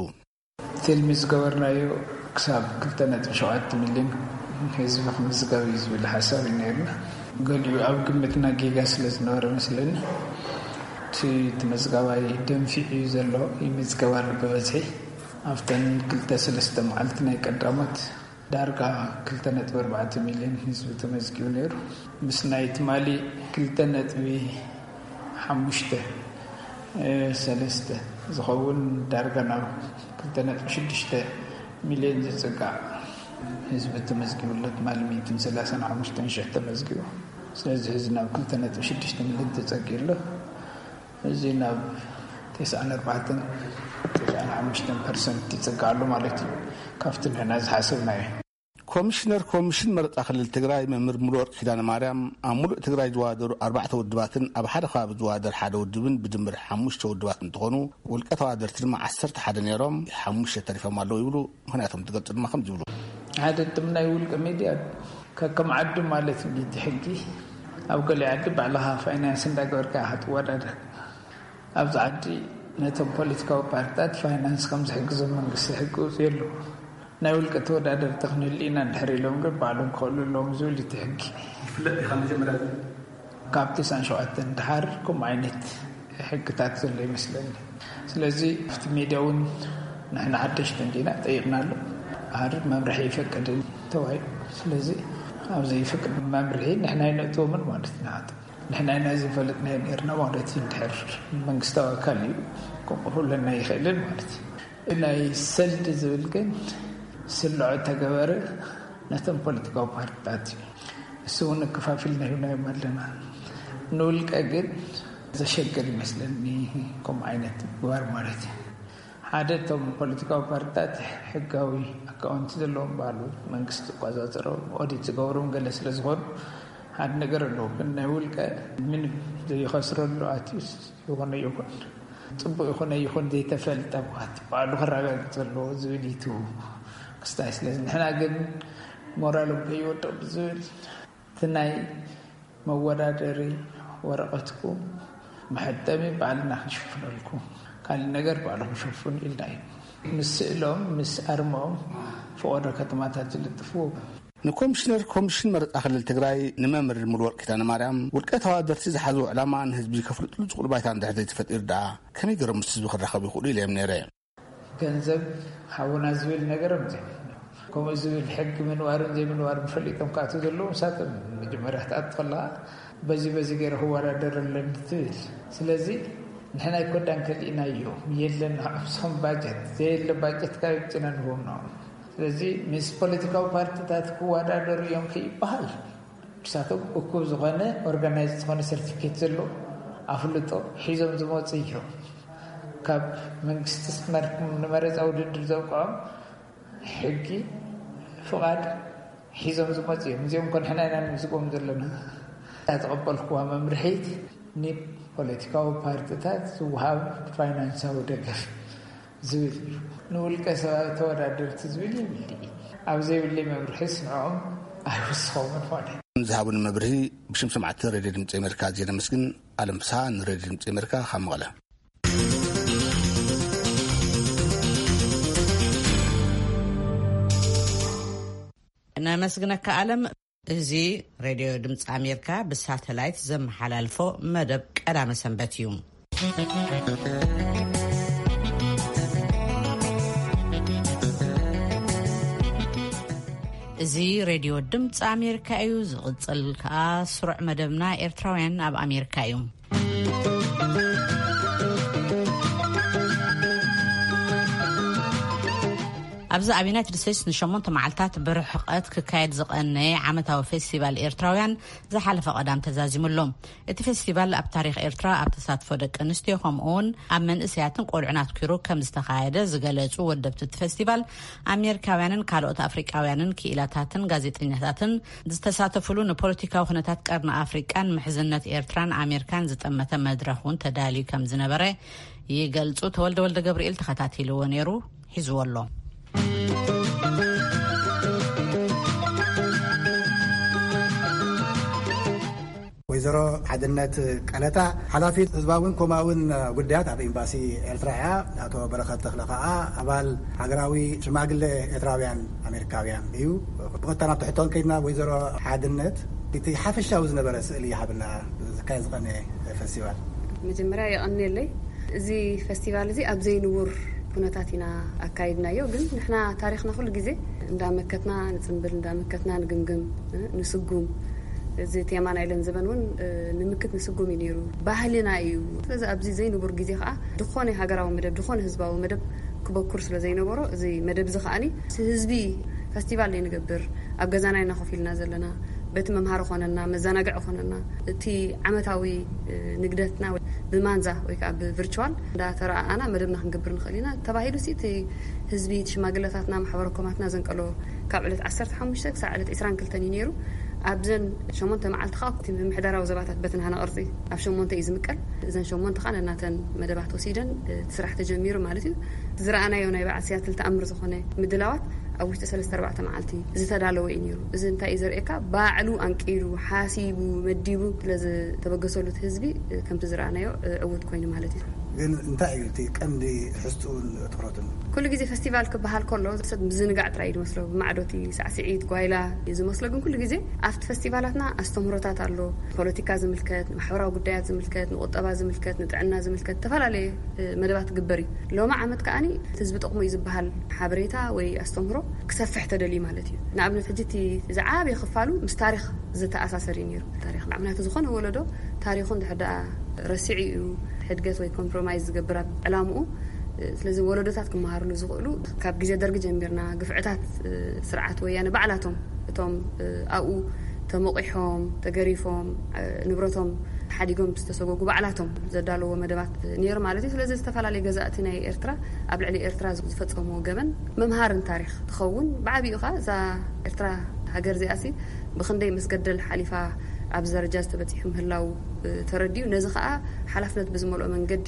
ትልሚ ዝገበርናዮ ክሳብ ክልተ ነጥቢ ሸውዓተ ሚልዮን ህዝቢ ክምዝገብ እዩ ዝብል ሓሳብ እዩ ነይርና። ገሊኡ ኣብ ግምትና ጌጋ ስለ ዝነበረ መስለኒ፣ እቲ ተመዝጋባይ ደንፊዑ እዩ ዘሎ፣ ይምዝገብ ኣሎ ብበዝሒ። ኣብተን ክልተ ሰለስተ መዓልቲ ናይ ቀዳሞት ዳርጋ ክልተ ነጥቢ ኣርባዕተ ሚልዮን ህዝቢ ተመዝጊቡ ነይሩ። ምስ ናይ ትማሊ ክልተ ነጥቢ ሓሙሽተ ሰለስተ ዝኸውን ዳርጋ ናብ ክልተ ነጥቢ ሽዱሽተ ሚልዮን ዝጽጋዕ ህዝቢ ተመዝጊቡ ኣሎ። ትማሊ ሚእትን ሰላሳን ሓሙሽተን ሽሕ ተመዝጊቡ። ስለዚ ህዝቢ ናብ ክልተ ነጥቢ ሽዱሽተ ሚልዮን ተጸጊ ኣሎ። እዚ ናብ ተስዓን ኣርባዕተን፣ ተስዓን ሓሙሽተን ፐርሰንት ይጽጋዕ ኣሎ ማለት እዩ። ካብቲ ንሕና ዝሓሰብናዮ። ኮሚሽነር ኮሚሽን መረጻ ክልል ትግራይ መምህር ሙሉወርቅ ኪዳነ ማርያም፣ ኣብ ሙሉእ ትግራይ ዝወዳደሩ ኣርባዕተ ውድባትን ኣብ ሓደ ከባቢ ዝወዳደር ሓደ ውድብን ብድምር ሓሙሽተ ውድባት እንትኾኑ፣ ውልቀ ተወዳደርቲ ድማ ዓሰርተ ሓደ ነይሮም፣ ሓሙሽተ ተሪፎም ኣለዉ ይብሉ። ምኽንያቶም ትገልጹ ድማ ከምዚ ይብሉ። ሓደ፣ እቶም ናይ ውልቀ ሚድያ ከከም ዓዱ ማለት እዩ እቲ ሕጊ። ኣብ ገሊኡ ዓዲ ባዕልኻ ፋይናንስ እንዳገበርካ ኢኻ ትወዳደር። ኣብዚ ዓዲ ነቶም ፖለቲካዊ ፓርትታት ፋይናንስ ከም ዝሕግዞም መንግስቲ ሕጊ ኣውጺኡ ኣሎ። ናይ ውልቀ ተወዳደርቲ ክንህሉ ኢና እንድሕር ኢሎም ግን ባዕሎም ክኽእሉ ኣለዎም ዝብል እቲ ሕጊ። ይፍለጥ እዩ ካብ መጀመርያ። ካብ ተስዓን ሸውዓተን ድሓር ከምኡ ዓይነት ሕግታት ዘሎ ይመስለኒ። ስለዚ ኣብቲ ሜድያ እውን ንሕና ሓደሽቲ እንዲና ጠይቕናሉ። ድሓር መምርሒ ይፈቅድን ተባሂሉ። ስለዚ ኣብ ዘይፈቅድ መምርሒ ንሕና ኣይነእትዎምን ማለት ኢና። ንሕና ኢና ዘይፈለጥናዮ ነይርና ማለት እዩ። እንድሕር መንግስታዊ ኣካል እዩ ክቕርበልና ይኽእልን ማለት እዩ። ናይ ሰልዲ ዝብል ግን ስልዖ ተገበረ ነቶም ፖለቲካዊ ፓርትታት እዩ። እሱ እውን ኣከፋፊልና ሂብናዮም ኣለና። ንውልቀ ግን ዘሸግር ይመስለኒ ከምኡ ዓይነት ምግባር ማለት እዩ። ሓደ፣ እቶም ፖለቲካዊ ፓርትታት ሕጋዊ ኣካውንቲ ዘለዎም ባዕሉ መንግስቲ ዝቆጻጸሮም፣ ኦዲት ዝገብሮም ገለ ስለ ዝኾኑ፣ ሓደ ነገር ኣለዎ። ግን ናይ ውልቀ ምንም ዘይኸስረሉ ኣትዩስ ይኹን ይኹን፣ ጽቡቕ ይኹን ኣይኹን ዘይተፈልጠ እኳ እቲ ባዕሉ ከረጋግጽ ኣለዎ ዝብል እዩ እቲ ክስታይ። ስለዚ ንሕና ግን ሞራሎም ከይወድቕ ብዝብል እቲ ናይ መወዳደሪ ወረቐትኩም መሐጠሚ ባዕልና ክንሽፍነልኩም፣ ካልእ ነገር ባዕልኹም ሸፍኑ ኢልና እዩ። ምስ ስእሎም፣ ምስ ኣርምኦም ፈቐዶ ከተማታት ዝልጥፍዎ። ንኮሚሽነር ኮሚሽን መረጻ ክልል ትግራይ ንመምህር ሙሉወርቅ ኪዳነ ማርያም፣ ውልቀ ተወዳደርቲ ዝሓዝዎ ዕላማ ንህዝቢ ከፍልጥሉ ዝኽእሉ ባይታ እንድሕር ዘይተፈጢሩ ደኣ ከመይ ገይሮም ምስ ህዝቢ ክራኸቡ ይኽእሉ ኢለ እዮም ነይረ። ገንዘብ ሓውና ዝብል ነገር እዮም ዘይብሉ። ከምኡ ዝብል ሕጊ ምንባርን ዘይምንባርን ፈሊጦም ክኣትዉ ዘለዎም ንሳቶም። መጀመርያ ክትኣቱ ከለኻ በዚ በዚ ገይረ ክወዳደር ኣለኒ ትብል። ስለዚ ንሕና ኣይኮዳን ከሊእናዮ የለን። ንዕኦም ንሶም ባጀት ዘየለ ባጀት ካብ ይምፅና ንህቦም ንዕኦም። ስለዚ ምስ ፖለቲካዊ ፓርቲታት ክወዳደሩ እዮም ከይበሃል ንሳቶም እኩብ ዝኾነ ኦርጋናይዝ ዝኾነ ሰርቲፊኬት ዘለዎ ኣፍልጦ ሒዞም ዝመፁ እዮም። ካብ መንግስቲ ንመረፃ ውድድር ዘብቅዖም ሕጊ ፍቓድ ሒዞም ዝመፁ እዮም። እዚኦም እኮ ንሕና ኢና ንምዝግቦም ዘለና። እታ ተቐበልኩዋ መምርሒት ንፖለቲካዊ ፓርቲታት ዝወሃብ ፋይናንሳዊ ደገፍ ዝብል እዩ። ንውልቀ ሰባት ተወዳደርቲ ዝብል የብልይ። ኣብ ዘይብለይ መምርሒስ ንዕኦም ኣይውስኾምን ማለት እዩ። ዝሃቡኒ መብርሂ ብሽም ሰማዕቲ ሬድዮ ድምፂ ኣሜሪካ ኣዝየ ነመስግን። ኣለም ፍስሃ ንሬድዮ ድምፂ ኣሜሪካ ካብ መቐለ። ነመስግነካ ኣለም። እዚ ሬድዮ ድምፂ ኣሜሪካ ብሳተላይት ዘመሓላልፎ መደብ ቀዳመ ሰንበት እዩ። እዚ ሬድዮ ድምፂ ኣሜሪካ እዩ። ዝቕፅል ከዓ ስሩዕ መደብና ኤርትራውያን ኣብ ኣሜሪካ እዩ። ኣብዚ ኣብ ዩናይትድ ስቴትስ ንሸሞንተ መዓልታት ብርሕቐት ክካየድ ዝቐነየ ዓመታዊ ፌስቲቫል ኤርትራውያን ዝሓለፈ ቀዳም ተዛዚሙ ኣሎ። እቲ ፌስቲቫል ኣብ ታሪኽ ኤርትራ ኣብ ተሳትፎ ደቂ ኣንስትዮ ከምኡ እውን ኣብ መንእሰያትን ቆልዑን ኣትኪሩ ከም ዝተኻየደ ዝገለጹ ወደብቲ እቲ ፌስቲቫል፣ ኣሜሪካውያንን ካልኦት ኣፍሪቃውያንን ክኢላታትን ጋዜጠኛታትን ዝተሳተፉሉ ንፖለቲካዊ ኩነታት ቀርኒ ኣፍሪቃን ምሕዝነት ኤርትራን ኣሜሪካን ዝጠመተ መድረኽ እውን ተዳልዩ ከም ዝነበረ ይገልጹ። ተወልደ ወልደ ገብርኤል ተኸታቲልዎ ነይሩ፣ ሒዝዎ ኣሎ። ወይዘሮ ሓድነት ቀለታ፣ ሓላፊት ህዝባውን ኮማውን ጉዳያት ኣብ ኤምባሲ ኤርትራ እያ። ኣቶ በረኸት ተኽለ ከኣ ኣባል ሃገራዊ ሽማግለ ኤርትራውያን ኣሜሪካውያን እዩ። ብቐጥታ ናብ ትሕቶን ከይድና፣ ወይዘሮ ሓድነት፣ እቲ ሓፈሻዊ ዝነበረ ስእሊ ይሃብና፣ ዝካየድ ዝቐነ ፌስቲቫል። መጀመርያ የቐንየለይ። እዚ ፌስቲቫል እዚ ኣብ ዘይንቡር ኩነታት ኢና ኣካይድናዮ። ግን ንሕና ታሪኽና ኩሉ ግዜ እንዳመከትና ንጽንብል፣ እንዳመከትና ንግምግም፣ እ፣ ንስጉም። እዚ ቴማ ናይ ለን ዘበን እውን፣ እ፣ ንምክት ንስጉም እዩ ነይሩ። ባህልና እዩ። ስለዚ ኣብዚ ዘይንቡር ግዜ ከዓ ዝኾነ ሃገራዊ መደብ፣ ዝኾነ ህዝባዊ መደብ ክበኩር ስለ ዘይነበሮ፣ እዚ መደብ እዚ ከዓኒ ህዝቢ ፌስቲቫል ዘይንገብር፣ ኣብ ገዛና ኢና ኮፍ ኢልና ዘለና፣ በቲ መምሃሪ ኮነና፣ መዘናግዒ ኮነና፣ እቲ ዓመታዊ፣ እ፣ ንግደትና ብማንዛ ወይ ከዓ ብቪርቹዋል እንዳተረኣኣና መደብና ክንገብር ንኽእል ኢና ተባሂሉ ሲ፣ እቲ ህዝቢ፣ እቲ ሽማግለታትና፣ ማሕበረ ኮማትና ዘንቀሎ ካብ ዕለት ዓሰርተ ሓሙሽተ ክሳብ ዕለት ዕስራን ክልተን እዩ ነይሩ። ኣብዘን ሸሞንተ መዓልቲ ከዓ እቲ ምምሕዳራዊ ዘባታት በቲ ናህና ቅርጺ ኣብ ሸሞንተ እዩ ዝምቀል። እዘን ሸሞንተ ከዓ ነናተን መደባት ወሲደን፣ እ፣ እቲ ስራሕ ተጀሚሩ ማለት እዩ። ዝረኣናዮ ናይ በዓል ሲያትል ተኣምር ዝኾነ ምድላዋት ኣብ ውሽጢ ሰለስተ ኣርባዕተ መዓልቲ ዝተዳለወ እዩ ነይሩ። እዚ እንታይ እዩ ዘርእየካ? ባዕሉ ኣንቂሉ፣ ሓሲቡ፣ መዲቡ ስለ ዝተበገሰሉ እቲ ህዝቢ፣ እ፣ ከምቲ ዝረኣናዮ፣ እ፣ ዕዉት ኮይኑ ማለት እዩ። ግን እንታይ እዩ እቲ ቀንዲ ትሕዝትኡን ትኹረቱን? ኩሉ ግዜ ፌስቲቫል ክበሃል ከሎ ሰብ ምዝንጋዕ ጥራይ እዩ ዝመስሎ። ብማዕዶ እቲ ሳዕስዒት፣ ጓይላ እዩ ዝመስሎ። ግን ኩሉ ግዜ ኣብቲ ፌስቲቫላትና ኣስተምህሮታት ኣሎ። ፖለቲካ ዝምልከት፣ ንማሕበራዊ ጉዳያት ዝምልከት፣ ንቁጠባ ዝምልከት፣ ንጥዕና ዝምልከት፣ ዝተፈላለየ፣ እ፣ መደባት ክግበር እዩ። ሎሚ ዓመት ከኣኒ እቲ ህዝቢ ጠቕሙ እዩ ዝበሃል ሓበሬታ ወይ ኣስተምህሮ ክሰፍሕ ተደልዩ ማለት እዩ። ንኣብነት፣ ሕጂ እቲ ዝዓበየ ክፋሉ ምስ ታሪኽ ዝተኣሳሰር እዩ ነይሩ። ታሪኽ፣ ምኽንያቱ፣ ዝኾነ ወለዶ ታሪኹ እንድሕር ደኣ ረሲዑ እዩ ሕድገት ወይ ኮምፕሮማይዝ ዝገብር ኣብ ዕላምኡ። ስለዚ፣ ወለዶታት ክመሃርሉ ዝኽእሉ፣ ካብ ግዜ ደርጊ ጀሚርና፣ ግፍዕታት፣ እ፣ ስርዓት ወያነ ባዕላቶም፣ እቶም፣ እ፣ ኣብኡ ተሞቂሖም፣ ተገሪፎም፣ እ፣ ንብረቶም ሓዲጎም ዝተሰጎጉ ባዕላቶም ዘዳለዎ መደባት ነይሩ ማለት እዩ። ስለዚ፣ ዝተፈላለዩ ገዛእቲ ናይ ኤርትራ ኣብ ልዕሊ ኤርትራ ዝፈጸምዎ ገበን መምሃርን ታሪኽ ትኸውን። ብዓቢኡ ኸኣ እዛ ኤርትራ ሃገር እዚኣሲ ብኽንደይ መስገደል ሓሊፋ ኣብዚ ደረጃ ዝተበጺሑ ምህላው፣ እ፣ ተረዲኡ፣ ነዚ ኸኣ ሓላፍነት ብዝመልኦ መንገዲ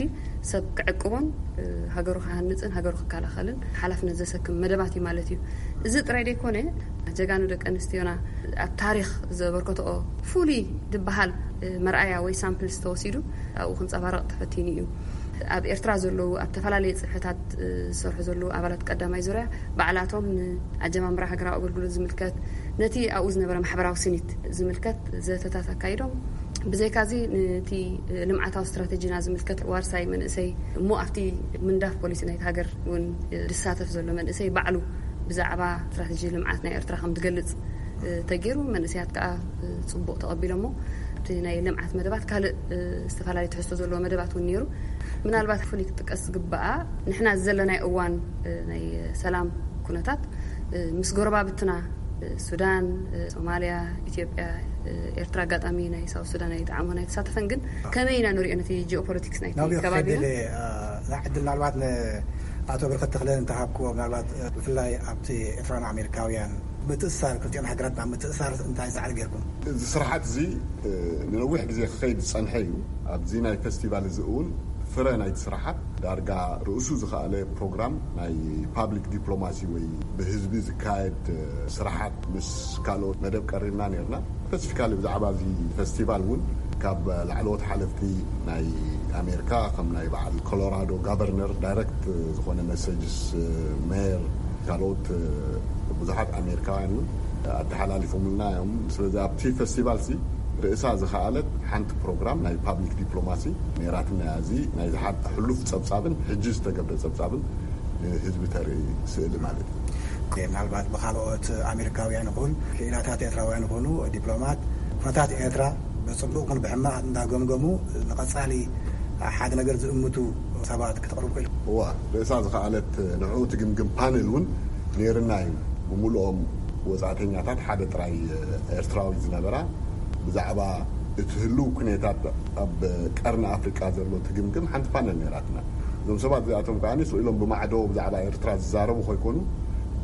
ሰብ ክዕቅቦን፣ እ፣ ሃገሩ ክሃንጽን ሃገሩ ክከላኸልን ሓላፍነት ዘሰክም መደባት እዩ ማለት እዩ። እዚ ጥራይ ደይኮነ፣ ጀጋኑ ደቂ ኣንስትዮና ኣብ ታሪኽ ዘበርከትኦ ፍሉይ ዝበሃል፣ እ፣ መርኣያ ወይ ሳምፕል ዝተወሲዱ ኣብኡ ክንጸባረቕ ተፈቲኑ እዩ። ኣብ ኤርትራ ዘለዉ፣ ኣብ ተፈላለየ ጽፍሕታት፣ እ፣ ዝሰርሑ ዘለዉ ኣባላት ቀዳማይ ዙርያ ባዕላቶም ንኣጀማምራ ሃገራዊ ኣገልግሎት ዝምልከት፣ ነቲ ኣብኡ ዝነበረ ማሕበራዊ ስኒት ዝምልከት ዘተታት ኣካይዶም። ብዘይካዚ፣ ነቲ ልምዓታዊ ስትራተጂና ዝምልከት ዋርሳይ መንእሰይ እሞ ኣብቲ ምንዳፍ ፖሊሲ ናይቲ ሃገር እውን ዝሳተፍ ዘሎ መንእሰይ ባዕሉ ብዛዕባ ስትራተጂ ልምዓት ናይ ኤርትራ ከም ዝገልጽ፣ እ፣ ተገይሩ። መንእሰያት ከኣ፣ እ፣ ጽቡቕ ተቐቢሎሞ። ኣብቲ ናይ ልምዓት መደባት ካልእ፣ እ፣ ዝተፈላለዩ ትሕዝቶ ዘለዎ መደባት እውን ነይሩ። ምናልባት ፍሉይ ክጥቀስ ዝግበኣ፣ ንሕና ዘለናዮ እዋን፣ እ፣ ናይ ሰላም ኩነታት፣ እ፣ ምስ ጎረባብትና፣ እ፣ ሱዳን፣ እ፣ ሶማልያ፣ ኢትዮጵያ፣ እ፣ ኤርትራ፣ ኣጋጣሚ ናይ ሳውት ሱዳን ኣይጠዓሞን ኣይተሳተፈን፣ ግን ከመይ ኢና ንሪኦ ነቲ ጂኦፖለቲክስ ናይቲ ናብኡ ከባቢና? ክኸይድ ኢለ፣ እ፣ እዛ ዕድል ምናልባት ንኣቶ በረኸት ተኽለ እንተሃብክዎ፣ ምናልባት፣ እ፣ ብፍላይ ኣብቲ ኤርትራን ኣሜሪካውያን ምትእስሳር፣ ክልቲኦን ሃገራት ናብ ምትእስሳር እንታይ ጻዕሪ ጌርኩም? እዚ ስርሓት እዚ፣ እ፣ ንነዊሕ ግዜ ክኸይድ ዝጸንሐ እዩ። ኣብዚ ናይ ፌስቲቫል እዚ እውን ፍረ ናይቲ ስራሓት ዳርጋ ርእሱ ዝኸኣለ ፕሮግራም ናይ ፓብሊክ ዲፕሎማሲ ወይ ብህዝቢ ዝካየድ፣ እ፣ ስራሓት ምስ ካልኦት መደብ ቀሪብና ነርና። ስፐሲፊካሊ ብዛዕባ እዚ ፌስቲቫል እውን ካብ ላዕለዎት ሓለፍቲ ናይ ኣሜሪካ፣ ከም ናይ በዓል ኮሎራዶ ጋቨርነር ዳይረክት ዝኾነ መሰጅስ፣ እ፣ ሜየር፣ ካልኦት፣ እ፣ ብዙሓት ኣሜሪካውያን እውን ኣተሓላሊፎምልና እዮም። ስለዚ ኣብቲ ፌስቲቫል ሲ ርእሳ ዝኸኣለት ሓንቲ ፕሮግራም ናይ ፓብሊክ ዲፕሎማሲ ነይራትና እያ። እዚ ናይ ዝሓ-፣ ሕሉፍ ጸብጻብን ሕጂ ዝተገብረ ጸብጻብን ንህዝቢ ተርኢ ስእሊ ማለት እዩ። ምናልባት ብካልኦት ኣሜሪካውያን ይኹን ክኢላታት ኤርትራውያን ይኹኑ ዲፕሎማት ኩነታት ኤርትራ ብጽቡቕ ኩን ብሕማቕ እንዳገምገሙ ንቐጻሊ ሓደ ነገር ዝእምቱ ሰባት ክተቕርቡ ክኢሉ? እዋ፣ ርእሳ ዝኸኣለት ንዕኡ ትግምግም ፓነል እውን ነይርና እዩ። ብምሉኦም ወጻእተኛታት ሓደ ጥራይ ኤርትራዊ ዝነበራ። ብዛዕባ እቲ ህልው ኩነታት ኣብ ቀርኒ ኣፍሪቃ ዘሎ ትግምግም ሓንቲ ፓነል ነይራትና። እዞም ሰባት እዚኣቶም ከኣ ስቕ ኢሎም ብማዕዶ ብዛዕባ ኤርትራ ዝዛረቡ ከይኮኑ፣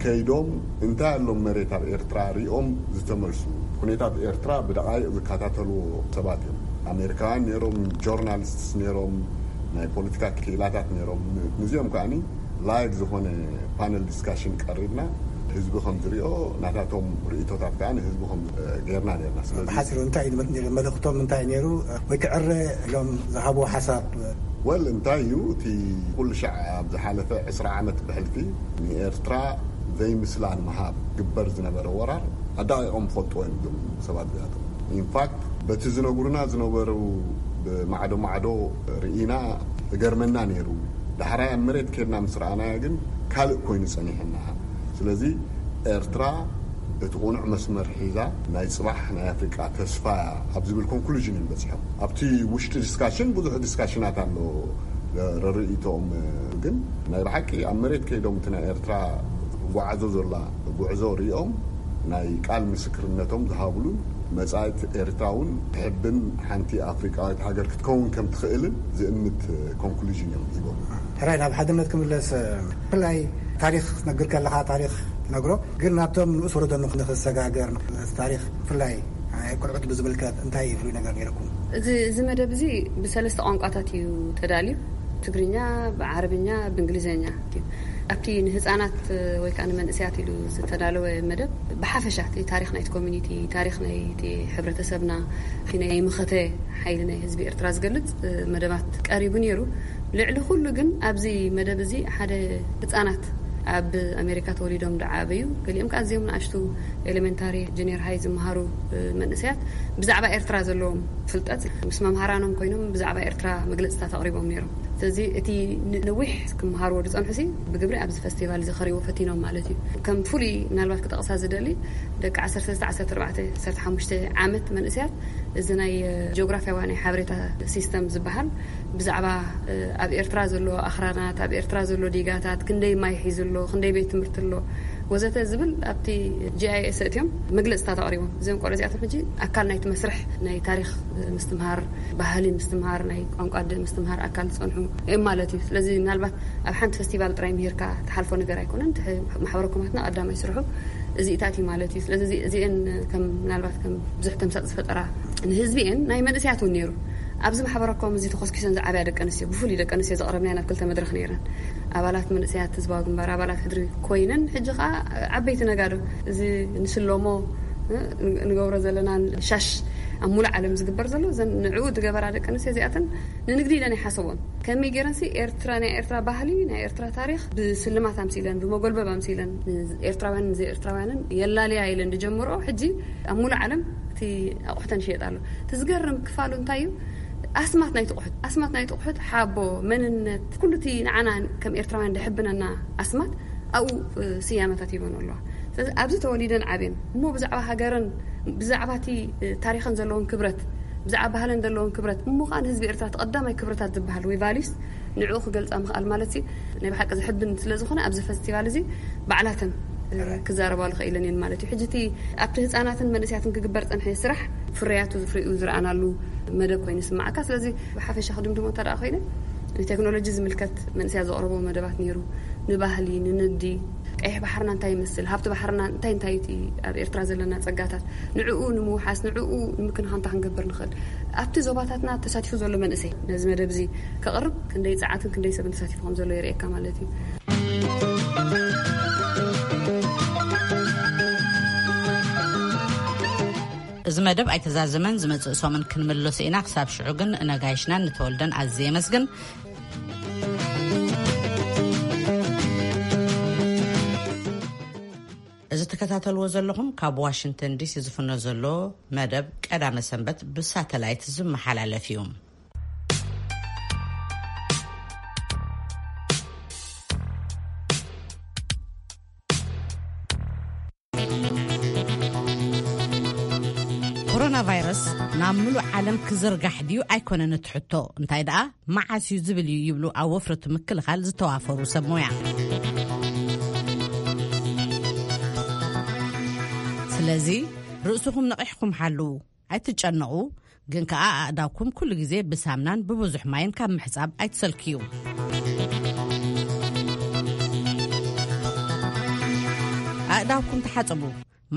ከይዶም እንታይ ኣሎም መሬት ኣብ ኤርትራ ሪኦም ዝተመልሱ። ኩነታት ኤርትራ ብደቓይቕ ዝከታተልዎ ሰባት እዮም። ኣሜሪካውያን ነይሮም፣ ጆርናሊስትስ ነይሮም፣ ናይ ፖለቲካ ክኢላታት ነይሮም። ንዚኦም ከኣ ላይቭ ዝኾነ ፓነል ዲስካሽን ቀሪብና፣ ህዝቢ ከም ዝሪኦ፣ ናታቶም ርእቶታት ከኣ ንህዝቢ ከም ጌርና ነርና። ስለዚ ብሓጺሩ እንታይ እዩ መልእኽቶም፣ እንታይ ነይሩ? ወይ ክዕረ ኢሎም ዝሃብዎ ሓሳብ? ወል እንታይ እዩ እቲ ኩሉ ሻዕ ኣብ ዝሓለፈ ዕስራ ዓመት ብሕልፊ ንኤርትራ ዘይምስላ ንምሃብ ግበር ዝነበረ ወራር ኣዳቂቖም ፈልጥዎ እዮም እዞም ሰባት እዚኣቶም። ኢንፋክት በቲ ዝነግሩና ዝነበሩ ብማዕዶ ማዕዶ ርኢና እገርመና ነይሩ። ዳሕራይ ኣብ መሬት ከድና ምስ ረኣናዮ ግን ካልእ ኮይኑ ጸኒሕና። ስለዚ ኤርትራ እቲ ቁኑዕ መስመር ሒዛ ናይ ጽባሕ ናይ ኣፍሪቃ ተስፋ እያ ኣብ ዝብል ኮንክሉዥን እዮም በጺሖም። ኣብቲ ውሽጢ ዲስካሽን ብዙሕ ዲስካሽናት ኣሎ ረርእይቶኦም፣ ግን ናይ ብሓቂ ኣብ መሬት ከይዶም እቲ ናይ ኤርትራ ጓዓዞ ዘላ ጉዕዞ ሪኦም ናይ ቃል ምስክርነቶም ዝሃብሉን መጻኢት ኤርትራ እውን ትሕብን ሓንቲ ኣፍሪቃዊት ሃገር ክትከውን ከም ትኽእልን ዝእምት ኮንክሉዥን እዮም ሂቦም። ሕራይ ናብ ሓድነት ክምለስ፣ ብፍላይ ታሪኽ ክትነግር ከለኻ ታሪኽ ትነግሮ፣ ግን ናብቶም ንኡስ ወለዶ ንኽንሰጋገር ታሪኽ ብፍላይ ቆልዑት ብዝምልከት እንታይ ፍሉይ ነገር ነይርኩም? እዚ እዚ መደብ እዚ ብሰለስተ ቋንቋታት እዩ ተዳልዩ። ትግርኛ፣ ብዓረብኛ፣ ብእንግሊዝኛ እዩ። ኣብቲ ንህፃናት ወይ ከዓ ንመንእሰያት ኢሉ ዝተዳለወ መደብ ብሓፈሻ እቲ ታሪኽ ናይቲ ኮሚኒቲ፣ ታሪኽ ናይቲ ሕብረተሰብና፣ እቲ ናይ መኸተ ሓይሊ ናይ ህዝቢ ኤርትራ ዝገልፅ መደባት ቀሪቡ ነይሩ። ልዕሊ ኩሉ ግን ኣብዚ መደብ እዚ ሓደ ህፃናት ኣብ ኣሜሪካ ተወሊዶም ዝዓበዩ፣ ገሊኦም ከዓ ኣዝዮም ንኣሽቱ ኤሌመንታሪ፣ ጁኒየር ሃይ ዝመሃሩ መንእሰያት ብዛዕባ ኤርትራ ዘለዎም ፍልጠት ምስ መምሃራኖም ኮይኖም ብዛዕባ ኤርትራ መግለፅታት ኣቕሪቦም ነይሮም። ስለዚ እቲ ነዊሕ ክመሃርዎ ዝፀንሑሲ ብግብሪ ኣብዚ ፈስቲቫል እዚ ከርእይዎ ፈቲኖም ማለት እዩ። ከም ፍሉይ ምናልባት ክጠቕሳ ዝደሊ ደቂ ዓሰርተ ክልተ፣ ዓሰርተ ኣርባዕተ፣ ዓሰርተ ሓሙሽተ ዓመት መንእሰያት እዚ ናይ ጂኦግራፊያዊ ናይ ሓበሬታ ሲስተም ዝበሃል ብዛዕባ ኣብ ኤርትራ ዘሎ ኣኽራናት፣ ኣብ ኤርትራ ዘሎ ዲጋታት፣ ክንደይ ማይ ሒዙ ኣሎ፣ ክንደይ ቤት ትምህርቲ ኣሎ ወዘተ ዝብል ኣብቲ ጂ ኣይ ኤስ ኣእትዮም መግለፅታት ኣቕሪቦም። እዚኦም ቆልዑ እዚኣቶም ሕጂ ኣካል ናይቲ መስርሕ ናይ ታሪኽ ምስትምሃር፣ ባህሊ ምስትምሃር፣ ናይ ቋንቋ ኣደ ምስትምሃር ኣካል ዝፀንሑ እዮም ማለት እዩ። ስለዚ ምናልባት ኣብ ሓንቲ ፈስቲቫል ጥራይ ምሂርካ ትሓልፎ ነገር ኣይኮነን። እቲ ማሕበረ ኮማትና ቀዳማይ ስርሑ እዚኢታት እዩ ማለት እዩ። ስለዚ እዚ- እዚአን ከም ምናልባት ከም ብዙሕ ተምሳጥ ዝፈጠራ ንህዝቢ እየን ናይ መንእሰያት እውን ነይሩ። ኣብዚ ማሕበረ ኮም እዚ ተኾስኪሰን ዝዓበያ ደቂ ኣንስትዮ፣ ብፍሉይ ደቂ ኣንስትዮ ዘቕረብናየን ኣብ ክልተ መድረኽ ነይረን። ኣባላት መንእሰያት ህዝባዊ ግንባር፣ ኣባላት ሕድሪ ኮይነን ሕጂ ከዓ ዓበይቲ ነጋዶ፣ እዚ ንስለሞ ንገብሮ ዘለና ሻሽ ኣብ ሙሉእ ዓለም ዝግበር ዘሎ፣ እዘን ንዕኡ ዝገበራ ደቂ ኣንስትዮ እዚኣተን ንንግዲ ኢለን ኣይሓሰቦን። ከመይ ገይረንሲ ኤርትራ፣ ናይ ኤርትራ ባህሊ፣ ናይ ኤርትራ ታሪኽ ብስልማት ኣምሲለን፣ ብመጎልበብ ኣምሲለን፣ ኤርትራውያን ንዘይ ኤርትራውያንን የላልያ ኢለን ዝጀምሮ፣ ሕጂ ኣብ ሙሉእ ዓለም እቲ ኣቑሑተን ይሸየጥ ኣሎ። እቲ ዝገርም ክፋሉ እንታይ እዩ? ኣስማት ናይቲ ኣቑሑት፣ ኣስማት ናይቲ ኣቑሑት፣ ሓቦ፣ መንነት፣ ኩሉ እቲ ንዓና ከም ኤርትራውያን ዝሕብነና ኣስማት ኣብኡ ስያመታት ሂበን ኣለዋ። ስለዚ ኣብዚ ተወሊደን ዓብየን እሞ ብዛዕባ ሃገረን ብዛዕባ እቲ ታሪኸን ዘለዎን ክብረት፣ ብዛዕባ ባህለን ዘለዎን ክብረት፣ እሞ ከዓ ንህዝቢ ኤርትራ እቲ ቀዳማይ ክብረታት ዝበሃል ወይ ቫልዩስ ንዕኡ ክገልፃ ምኽኣል ማለት ሲ ናይ ብሓቂ ዝሕብን ስለ ዝኾነ ኣብዚ ፈስቲቫል እዚ ባዕላተን ክዛረባሉ ክኢለን እየን ማለት እዩ። ሕጂ እቲ ኣብቲ ህፃናትን መንእሰያትን ክግበር ፀንሐ ስራሕ ፍርያቱ ዝፍሪኡ ዝረኣናሉ መደብ ኮይኑ ይስማዓካ። ስለዚ ብሓፈሻ ክድምድሞ እንተ ደኣ ኮይነ ንቴክኖሎጂ ዝምልከት መንእሰያት ዘቕረቦ መደባት ነይሩ። ንባህሊ፣ ንንግዲ፣ ቀይሕ ባሕርና እንታይ ይመስል፣ ሃብቲ ባሕርና እንታይ እንታይ እቲ ኣብ ኤርትራ ዘለና ጸጋታት ንዕኡ ንምውሓስ ንዕኡ ንምክንኻን እንታይ ክንገብር ንኽእል ኣብቲ ዞባታትና ተሳቲፉ ዘሎ መንእሰይ ነዚ መደብ እዚ ከቕርብ ክንደይ ጸዓትን ክንደይ ሰብን ተሳቲፉ ከም ዘሎ የርእየካ ማለት እዩ። እዚ መደብ ኣይተዛዘመን፣ ዝመጽእ ሰሙን ክንምለሶ ኢና። ክሳብ ሽዑ ግን ነጋይሽናን ንተወልደን ኣዝየ የመስግን። እዚ ትከታተልዎ ዘለኹም ካብ ዋሽንግተን ዲሲ ዝፍኖ ዘሎ መደብ ቀዳመ ሰንበት ብሳተላይት ዝመሓላለፍ እዩ። ኮሮና ቫይረስ ናብ ምሉእ ዓለም ክዝርጋሕ ድዩ ኣይኮነን እቲ ሕቶ፣ እንታይ ደኣ መዓስ እዩ ዝብል እዩ ይብሉ ኣብ ወፍሪ እቲ ምክልኻል ዝተዋፈሩ ሰብ ሞያ። ስለዚ ርእስኹም ነቒሕኩም ሓልዉ። ኣይትጨነቑ፣ ግን ከኣ ኣእዳውኩም ኩሉ ግዜ ብሳምናን ብብዙሕ ማይን ካብ ምሕጻብ ኣይትሰልክዩ። ኣእዳውኩም ተሓጸቡ።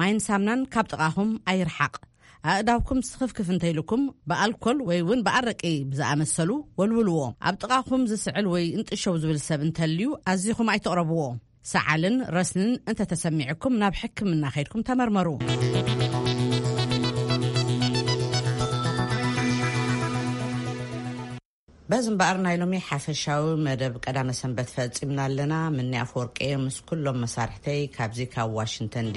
ማይን ሳምናን ካብ ጥቓኹም ኣይርሓቕ። ኣእዳውኩም ስኽፍክፍ እንተይልኩም ብኣልኮል ወይ እውን ብኣረቂ ብዝኣመሰሉ ወልውልዎ። ኣብ ጥቓኹም ዝስዕል ወይ እንጥሸው ዝብል ሰብ እንተልዩ ኣዚኹም ኣይትቕረብዎ። ሰዓልን ረስንን እንተተሰሚዕኩም ናብ ሕክምና ከይድኩም ተመርመሩ። በዚ እምበኣር ናይ ሎሚ ሓፈሻዊ መደብ ቀዳመ ሰንበት ፈጺምና ኣለና። ምኒ ኣፈወርቂ ምስ ኩሎም መሳርሕተይ ካብዚ ካብ ዋሽንግተን ዲ